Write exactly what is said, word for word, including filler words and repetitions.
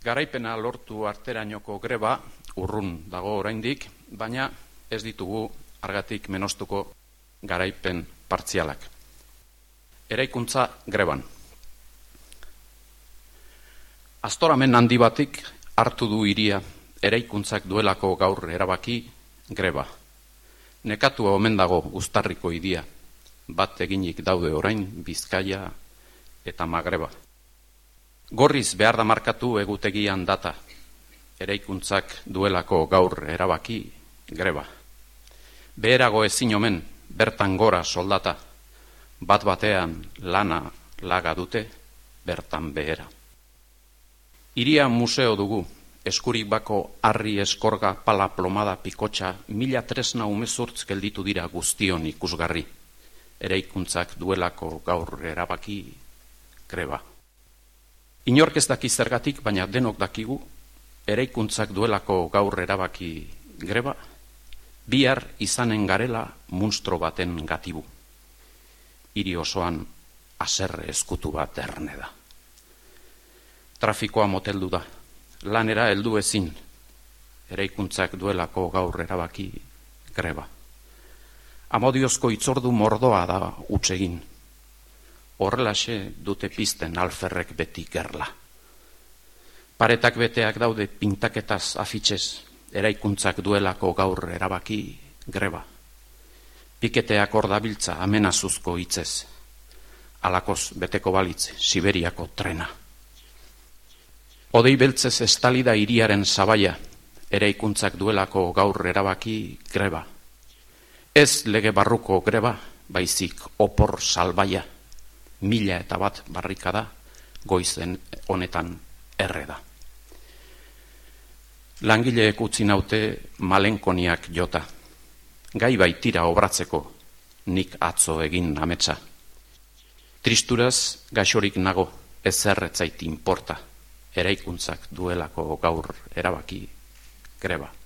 Garaipena lortu arterainoko greba urrun dago oraindik, baina ez ditugu argatik menostuko garaipen partzialak. Eraikuntza greban. Astoramen handi batik hartu du hiria eraikuntzak duelako gaur erabaki greba. Nekatua omen dago Uztarriko hiria, bat eginik daude orain Bizkaia eta Magreba. Gorriz behar da markatu egutegian data, eraikuntzak duelako gaur erabaki greba. Beherago ezin omen bertan gora soldata, bat batean lana laga dute bertan behera. Hiria museo dugu, eskurik bako harri eskorga pala plomada pikotxa mila tresna umezurtz gelditu dira guztion ikusgarri, eraikuntzak duelako gaur erabaki greba. Inork ez daki zergatik, baina denok dakigu, eraikuntzak duelako gaur erabaki greba, bihar izanen garela munstro baten gatibu. Hiri osoan haserre eskutu bat erne da. Trafikoa moteldu da, lanera heldu ezin, eraikuntzak duelako gaur erabaki greba. Amodiozko itzordu mordoa da utsegin. Horrelaxe dute pizten alferrek beti gerla. Paretak beteak daude pintaketaz afitxez, eraikuntzak duelako gaur erabaki greba. Piketeak hor dabiltza amenazuzko hitzez, alakoz beteko balitz Siberiako trena. Odei beltzez estalida hiriaren sabaia, eraikuntzak duelako gaur erabaki greba. Ez lege barruko greba, baizik opor salbaia, mila eta bat barrikada goizen honetan erre da. Langileek utzi naute malenkoniak jota, gai baitira obratzeko nik atzo egin ametsa. Tristuraz gaixorik nago, ez erretzait inporta, eraikuntzak duelako gaur erabaki greba.